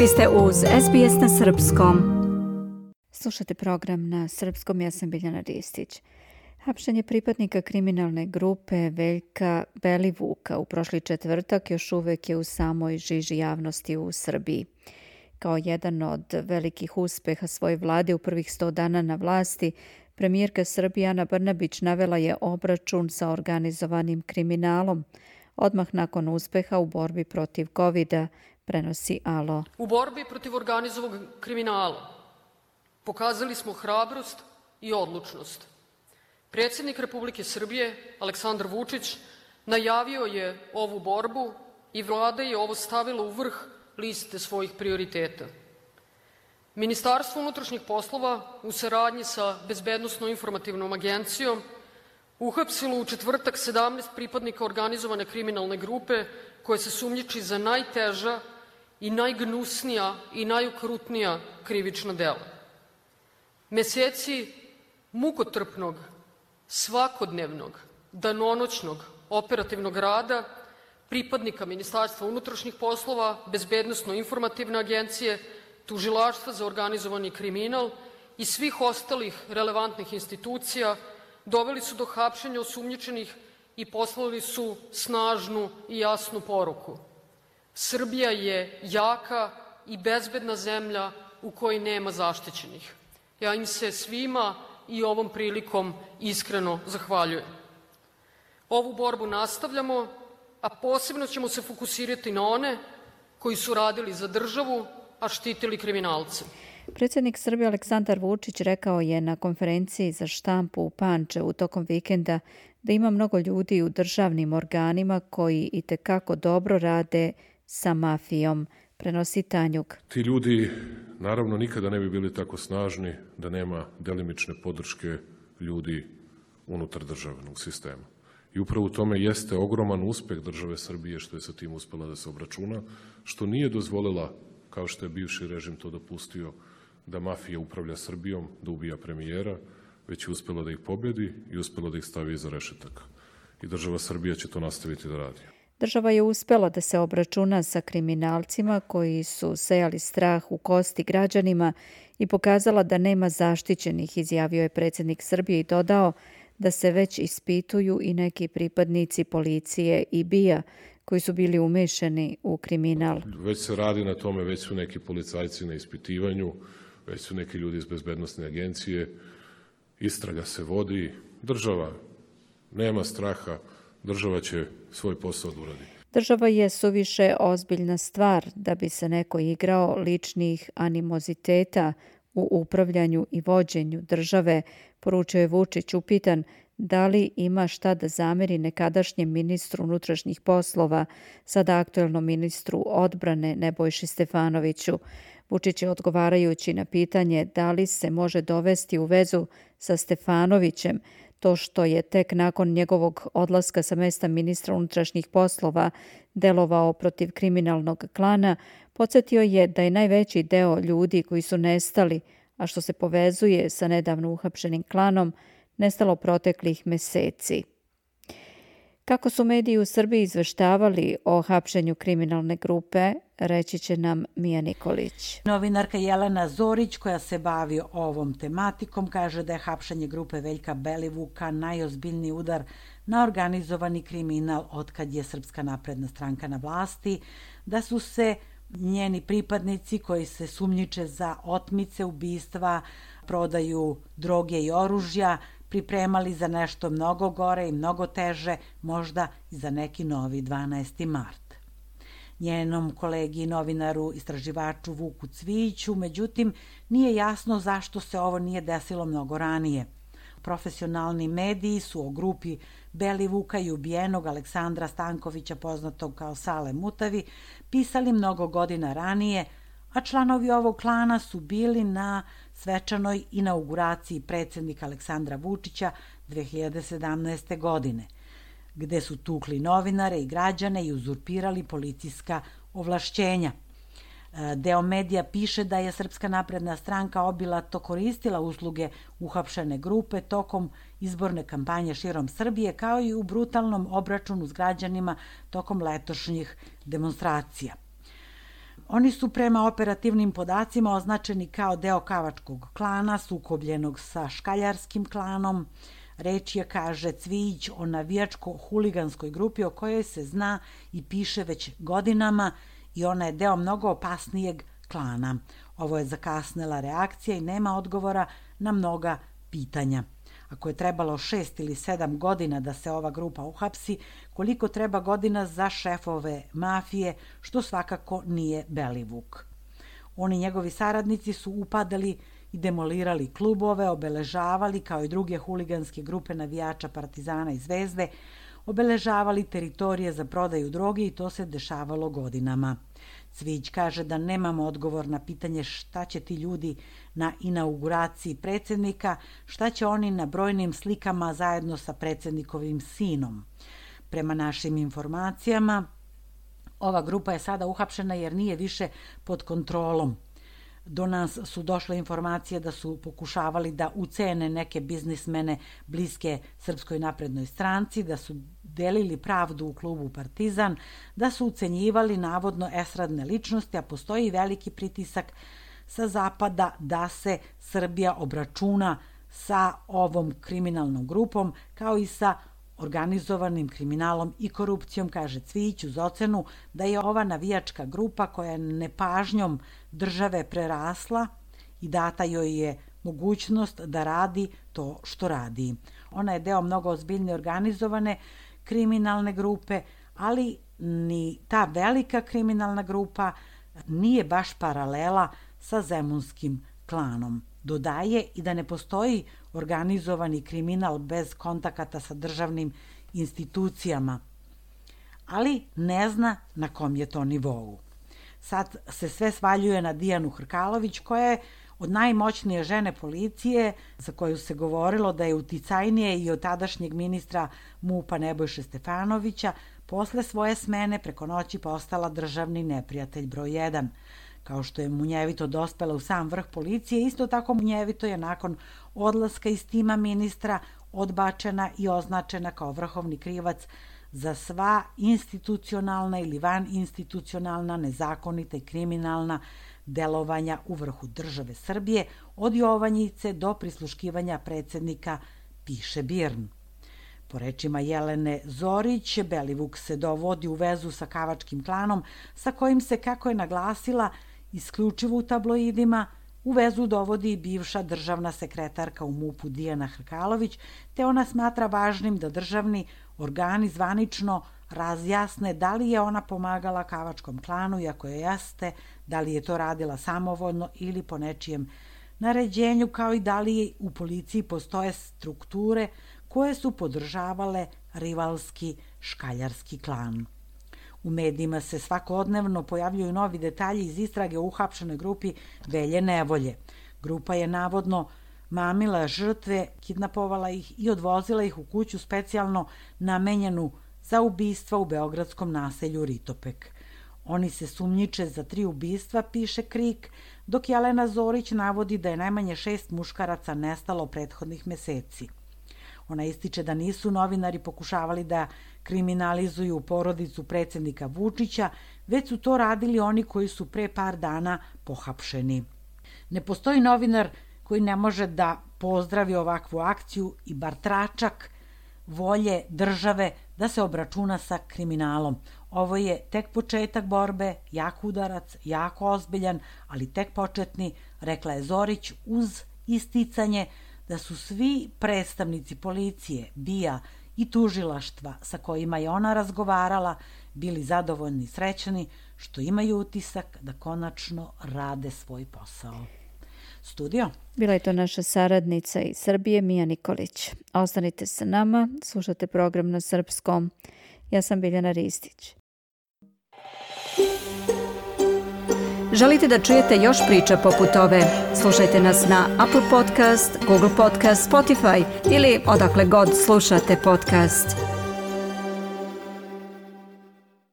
Vi ste uz SBS na Srpskom. Slušate program na Srpskom, ja sam Biljana Ristić. Hapšenje pripadnika kriminalne grupe Veljka Belivuka u prošli četvrtak još uvek je u samoj žiži javnosti u Srbiji. Kao jedan od velikih uspeha svoje vlade u prvih 100 dana na vlasti, premijerka Srbije Ana Brnabić navela je obračun sa organizovanim kriminalom. Odmah nakon uspeha u borbi protiv COVID-a, prenosi Alo. U borbi protiv organizovanog kriminala pokazali smo hrabrost i odlučnost. Predsjednik Republike Srbije, Aleksandar Vučić, najavio je ovu borbu i vlada je ovo stavila u vrh liste svojih prioriteta. Ministarstvo unutrašnjih poslova u saradnji sa Bezbednosno-informativnom agencijom uhapsilo u četvrtak 17 pripadnika organizovane kriminalne grupe koje se sumnjiči za najteža i najgnusnija i najokrutnija krivična dela. Meseci mukotrpnog, svakodnevnog, danonoćnog operativnog rada pripadnika Ministarstva unutrašnjih poslova, Bezbednosno-informativne agencije, Tužilaštva za organizovani kriminal i svih ostalih relevantnih institucija doveli su do hapšenja osumnjičenih i poslali su snažnu i jasnu poruku. Srbija je jaka i bezbedna zemlja u kojoj nema zaštićenih. Ja im se svima i ovom prilikom iskreno zahvaljujem. Ovu borbu nastavljamo, a posebno ćemo se fokusirati na one koji su radili za državu, a štitili kriminalce. Predsjednik Srbije Aleksandar Vučić rekao je na konferenciji za štampu u Pančevu tokom vikenda da ima mnogo ljudi u državnim organima koji itekako dobro rade sa mafijom, prenosi Tanjuk. Ti ljudi naravno nikada ne bi bili tako snažni da nema delimične podrške ljudi unutar državnog sistema. I upravo u tome jeste ogroman uspeh države Srbije što je sa tim uspela da se obračuna, što nije dozvolila, kao što je bivši režim to dopustio, da mafija upravlja Srbijom, da ubija premijera, već je uspela da ih pobedi i uspela da ih stavi iza rešetaka. I država Srbija će to nastaviti da radi. Država je uspela da se obračuna sa kriminalcima koji su sejali strah u kosti građanima i pokazala da nema zaštićenih, izjavio je predsjednik Srbije i dodao da se već ispituju i neki pripadnici policije i BIA koji su bili umešani u kriminal. Već se radi na tome, već su neki policajci na ispitivanju, već su neki ljudi iz Bezbednosne agencije, istraga se vodi, država nema straha, država će svoj posao da uradi. Država je suviše ozbiljna stvar da bi se neko igrao ličnih animoziteta u upravljanju i vođenju države, poručio je Vučić upitan da li ima šta da zameri nekadašnjem ministru unutrašnjih poslova, sada aktuelnom ministru odbrane Nebojši Stefanoviću. Vučić je odgovarajući na pitanje da li se može dovesti u vezu sa Stefanovićem to što je tek nakon njegovog odlaska sa mesta ministra unutrašnjih poslova delovao protiv kriminalnog klana, podsjetio je da je najveći deo ljudi koji su nestali, a što se povezuje sa nedavno uhapšenim klanom, nestalo proteklih meseci. Kako su mediji u Srbiji izveštavali o hapšenju kriminalne grupe, reći će nam Mija Nikolić. Novinarka Jelena Zorić, koja se bavi ovom tematikom, kaže da je hapšenje grupe Veljka Belivuka najozbiljniji udar na organizovani kriminal otkad je Srpska napredna stranka na vlasti, da su se njeni pripadnici koji se sumnjiče za otmice, ubistva, prodaju droge i oružja, pripremali za nešto mnogo gore i mnogo teže, možda i za neki novi 12. mart. Njenom kolegi novinaru istraživaču Vuku Cvijiću, međutim, nije jasno zašto se ovo nije desilo mnogo ranije. Profesionalni mediji su o grupi Belivuka i ubijenog Aleksandra Stankovića, poznatog kao Sale Mutavi, pisali mnogo godina ranije, a članovi ovog klana su bili na svečanoj inauguraciji predsjednika Aleksandra Vučića 2017. godine, gde su tukli novinare i građane i uzurpirali policijska ovlašćenja. Deo medija piše da je Srpska napredna stranka obilato koristila usluge uhapšene grupe tokom izborne kampanje širom Srbije, kao i u brutalnom obračunu s građanima tokom letošnjih demonstracija. Oni su prema operativnim podacima označeni kao deo Kavačkog klana, sukobljenog sa Škaljarskim klanom. Reč je, kaže Cvijić, o navijačko-huliganskoj grupi o kojoj se zna i piše već godinama i ona je deo mnogo opasnijeg klana. Ovo je zakasnela reakcija i nema odgovora na mnoga pitanja. Ako je trebalo 6 ili 7 godina da se ova grupa uhapsi, koliko treba godina za šefove mafije, što svakako nije Belivuk. Oni njegovi saradnici su upadali i demolirali klubove, obeležavali, kao i druge huliganske grupe navijača Partizana i Zvezde, obeležavali teritorije za prodaju droge i to se dešavalo godinama. Cvijić kaže da nemamo odgovor na pitanje šta će ti ljudi na inauguraciji predsjednika, šta će oni na brojnim slikama zajedno sa predsjednikovim sinom. Prema našim informacijama, ova grupa je sada uhapšena jer nije više pod kontrolom. Do nas su došle informacije da su pokušavali da ucene neke biznismene bliske Srpskoj naprednoj stranci, da su delili pravdu u klubu Partizan, da su ucenjivali navodno estradne ličnosti, a postoji veliki pritisak sa zapada da se Srbija obračuna sa ovom kriminalnom grupom, kao i sa organizovanim kriminalom i korupcijom, kaže Cvijić uz ocenu da je ova navijačka grupa koja je nepažnjom države prerasla i data joj je mogućnost da radi to što radi. Ona je deo mnogo ozbiljne organizovane kriminalne grupe, ali ni ta velika kriminalna grupa nije baš paralela sa zemunskim klanom. Dodaje i da ne postoji organizovani kriminal bez kontakata sa državnim institucijama, ali ne zna na kom je to nivou. Sad se sve svaljuje na Dijanu Hrkalović, koja je od najmoćnije žene policije, za koju se govorilo da je uticajnije i od tadašnjeg ministra MUP-a Nebojše Stefanovića, posle svoje smene preko noći postala državni neprijatelj broj 1. Kao što je munjevito dospela u sam vrh policije, isto tako munjevito je nakon odlaska iz tima ministra odbačena i označena kao vrhovni krivac za sva institucionalna ili vaninstitucionalna, nezakonita i kriminalna delovanja u vrhu države Srbije, od Jovanjice do prisluškivanja predsjednika, piše BIRN. Po rečima Jelene Zorić, Belivuk se dovodi u vezu sa Kavačkim klanom, sa kojim se, kako je naglasila, isključivo u tabloidima, u vezu dovodi i bivša državna sekretarka u MUP-u Dijana Hrkalović, te ona smatra važnim da državni organi zvanično razjasne da li je ona pomagala Kavačkom klanu i ako je jeste, da li je to radila samovoljno ili po nečijem naređenju, kao i da li u policiji postoje strukture koje su podržavale rivalski Škaljarski klan. U medijima se svakodnevno pojavljuju novi detalji iz istrage o uhapšenoj grupi Velje Nevolje. Grupa je navodno mamila žrtve, kidnapovala ih i odvozila ih u kuću specijalno namenjenu za ubistva u beogradskom naselju Ritopek. Oni se sumnjiče za 3 ubistva, piše KRIK, dok Jelena Zorić navodi da je najmanje 6 muškaraca nestalo prethodnih meseci. Ona ističe da nisu novinari pokušavali da kriminalizuju porodicu predsjednika Vučića, već su to radili oni koji su pre par dana pohapšeni. Ne postoji novinar koji ne može da pozdravi ovakvu akciju i bar tračak volje države da se obračuna sa kriminalom. Ovo je tek početak borbe, jak udarac, jako ozbiljan, ali tek početni, rekla je Zorić uz isticanje da su svi predstavnici policije, BIA i tužilaštva sa kojima je ona razgovarala bili zadovoljni i srećni što imaju utisak da konačno rade svoj posao. Studio. Bila je to naša saradnica iz Srbije, Mija Nikolić. Ostanite sa nama, slušate program na srpskom. Ja sam Biljana Ristić. Želite da čujete još priča poput ove? Slušajte nas na Apple Podcast, Google Podcast, Spotify ili odakle god slušate podcast.